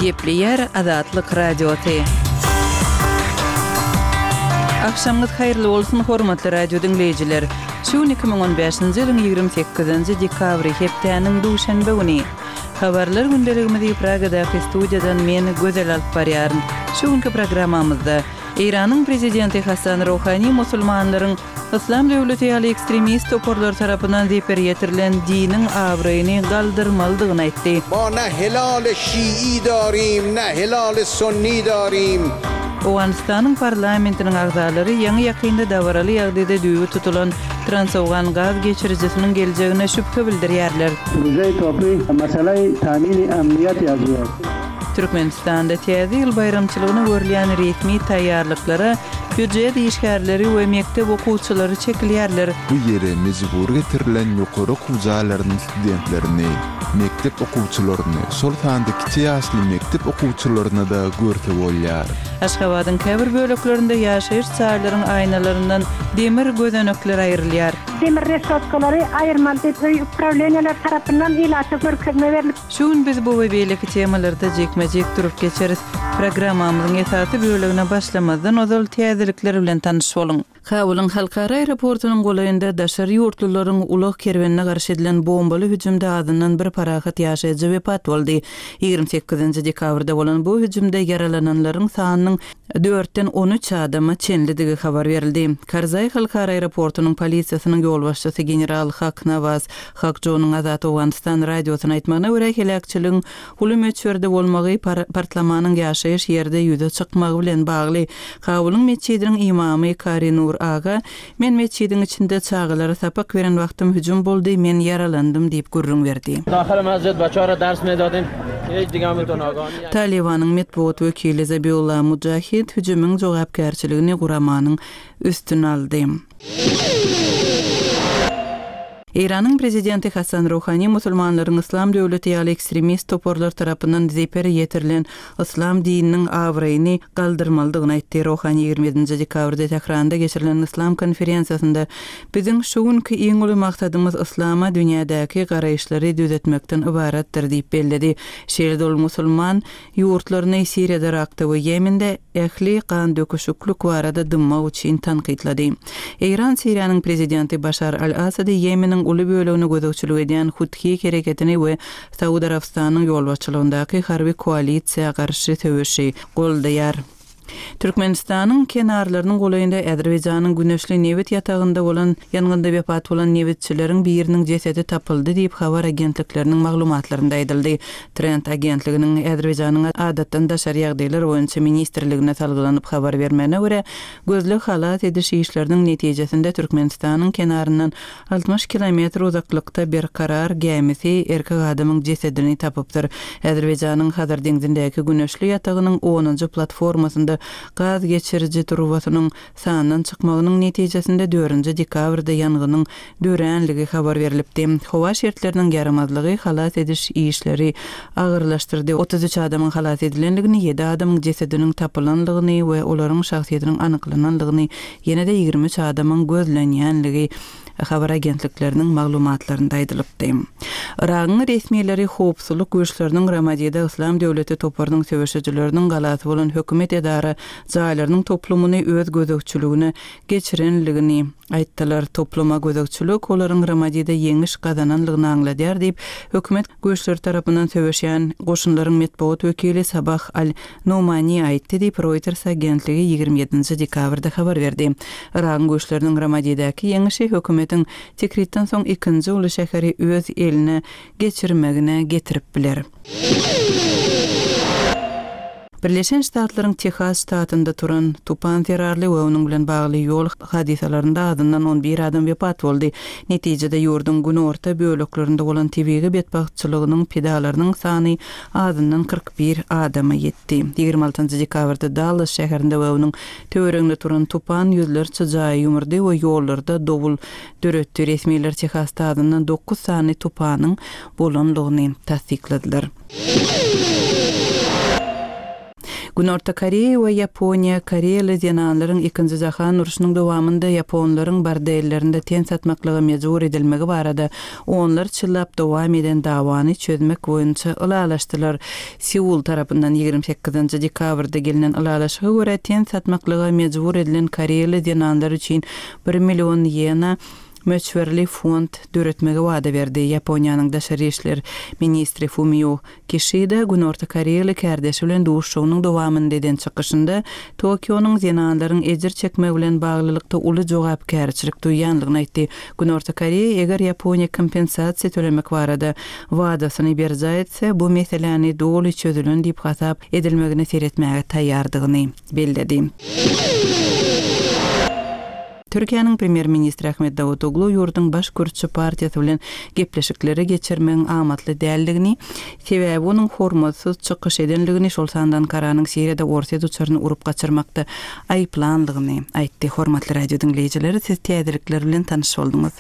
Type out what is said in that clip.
Gepleýär Azatlyk Radiosy. Agşamyňyz haýyrly bolsun, hormatly radio diňleýjiler! Şu gün 2015-nji ýylyň 28-nji dekabry, hepdäniň duşenbe güni. Habarlar gündeligimizi Pragadaky studiýadan men, Gözel alyp barýaryn. Şu günki programmamyzda, Eýranyň prezidenti Hasan Rohani musulmanlaryň Yslam döwleti ýaly ekstremist toparlar tarapyndan zeper ýetirilen diniň abraýyny galdyrmalydygyny aýtdy. Ma ne helal şii darim, ne helal sunni darim. Owganystanyň parlamentiniň agzalary ýaňy-ýakynda dabaraly ýagdaýda düýbi tutulan Transowgan gaz geçirijisiniň geljegine şübhe bildirýärler. Türkmenistanda Täze ýyl baýramçylygyna görülýän resmi taýýarlyklara býujet işgärleri we mekdep okuwçylary çekilýärler. Bu ýere mejbury getirilen ýokary okuw jaýlarynyň studentlerini, mekdep okuwçylaryny, şol sanda kiçi ýaşly mekdep okuwçylaryny-da görse bolýar. Aşgabadyň käbir böleklerinde ýaşaýyş jaýlaryň aýnalaryndan demir gözenekler aýrylýar. Demir reşotkalary aýyrmaly diýip öý uprawleniýalar tarapyndan ilata görkezme berlip. Şu gün biz bu we beýleki temalarda jikme-jik durup geçeris. Programmamyzyň esasy bölegine başlamazdan ozal täzelikler bilen tanyş boluň. Kabulyň halkara aeroportunyň golaýynda daşary ýurtlularyň ulag kerwenine garşy edilen bombaly hüjümde azyndan bir parahat ýaşaýjy wepat boldy. 28-nji dekabrda bolan bu hüjümde ýaralananlaryň sanynyň dörtden on üç adama çenlidigi habar berildi. Karzaý halkara aeroportunyň polisiýasynyň ýolbaşçysy general Hak Nawaz Hakjonyň Azat Owganystan radiosyna aýtmagyna görä, heläkçiligiň uly möçberde bolmagy partlamanyň ýaşaýyş ýerde ýüze çykmagy bilen bagly. Kabulyň metjidiniň ymamy Kari Nur aga, Men metjidiň içinde çagalara sapak beren wagtym hüjüm boldy, men ýaralandym diýip gürrüň berdi. Talybanyň metbugat wekili Zabiullah Mujahid hüjümiň jogapkärçiligini guramanyň üstüne aldy. Eýranyň prezidenti Hasan Ruhani musulmanlaryň Yslam döwleti ýaly ekstremist toparlar tarapyndan zeper ýetirilen yslam dininiň abraýyny galdyrmalydygyny aýtdy. Rohani 27-nji dekabrda Tähranda geçirilen Yslam konferensiýasynda, Biziň şu günki iň uly maksadymyz yslama dünýädäki garaýyşlary düzetmekden ybaratdyr diýip belledi. Şeýle-de ol musulman ýurtlaryny Siriýada, Yrakda we Ýemende ähli gandöküşiklik barada dymmak üçin tankytlady. Eýran Siriýanyň prezidenti Başar al-Assady Ýemeniň uly bölegine gözegçilik edýän Huthi hereketini we Saud Arabystanynyň ýolbaşçylygyndaky harby koalisiýa garşy söweşi goldaýar. Türkmenistanyň kenarlarynyň golaýynda Azerbaýjanyň güneşli nebit ýatagynda bolan ýangynda wepat bolan nebitçileriň biriniň jesedi tapyldy diýip, habar agentlikleriniň maglumatlarynda aýdyldy. Trend agentliginiň Azerbaýjanyň Adatdan daşary ýagdaýlar boýunça ministrligine salgylanyp habar bermegine görä, gözleg-halas ediş işleriniň netijesinde Türkmenistanyň kenaryndan 60 kilometr uzaklykda Berkarar gämisi erkek adamyň jesedini tapypdyr. Azerbaýjanyň Hazar deňzindäki güneşli ýatagynyň onunjy platformasynda gaz geçiriji turbasynyň sandan çykmagynyň netijesinde dördünji dekabrda ýangynyň döränligi habar berlipdi. Howa şertleriniň ýaramazlygy halas ediş işleri agyrlaşdyrdy. 33 adamyň halas edilendigini, ýedi adamyň jesediniň tapylanlygyny we olaryň şahsyýetiniň anyklananlygyny Ýene-de 23 adamyň gözlenýänligi habar agentlikleriniň maglumatlarynda aýdylypdy. Yragyň resmileri howpsuzlyk güýçleriniň Ramadide Yslam döwleti toparynyň söweşijileriniň galasy bolan hökümet edara jaýlarynyň toplumyny öz gözegçiligine geçirenligini aýtdylar. Topluma gözegçilik olaryň Ramadide ýeňiş gazananlygyny aňladýar diýip, hökümet güýçleri tarapyndan söweşýän goşunlaryň metbugat wekili Sabah al Nomani aýtdy diýip, Reuters agentligi 27-nji dekabrda habar berdi. Yragyň güýçleriniň Ramadidäki ýeňişi hökümetiň Tikritden soň ikinji uly şäheri öz eline geçirmegine getirip biler. Birleşen Ştatlaryň Tehas ştatynda turan tupan zerarly we onuň bilen bagly ýol hadysalarynda azyndan on bir adam wepat boldy. Netijede ýurduň günorta böleklerinde bolan tebigy betbagtçylygynyň pidalarynyň sany azyndan 41 adama ýetdi. 26 dekabrda Dallas şäherinde we onuň töwereginde turan tupan ýüzlerçe jaýy ýumurdy we ýollarda dowul döretdi. Resmiler Tehasda azyndan dokuz sany tupanyň bolandygyny tassykladylar. Günorta Koreýa we Ýaponiýa koreýaly zenanlaryň Ikinji jahan urşunyň dowamynda ýaponlaryň bordellerinde ten satmaklyga mejbur edilmegi barada onlarça ýyllap dowam eden dawany çözmek boýunça ylalaşdylar. Seul tarapyndan 28-nji dekabrda gelnen ylalaşyga görä, ten satmaklyga mejbur edilen koreýaly zenanlar üçin bir million ýena möçberli fond döretmegi wada berdi. Ýaponiýanyň daşary işler ministri Fumio Kişida Günorta Koreýaly kärdeşi bilen duşuşygynyň dowamynda eden çykyşynda Tokionyň zenanlaryň ejir çekmegi bilen baglylykda uly jogapkärçilik duýýanlygyny aýtdy. Günorta Koreýa eger Ýaponiýa kompensasiýa tölemek barada wadasyny berjaý etse, bu meseläni doly çözülen diýip hasap edilmegine seretmäge taýýardygyny belledi. Türkiýäniň Premýer-ministri Ahmet Dawutoglu ýurduň baş kürtçi partiýasy bilen gepleşikleri geçirmegiň amatly däldigini, sebäbi onuň hormatsyz çykyş edenligini, şol sanda Ankaranyň Siriýada orsýet uçaryny urup gaçyrmakda aýyplanlygyny aýtdy. Hormatly radio diňleýjiler, siz täzelikler bilen tanyş bolduňyz.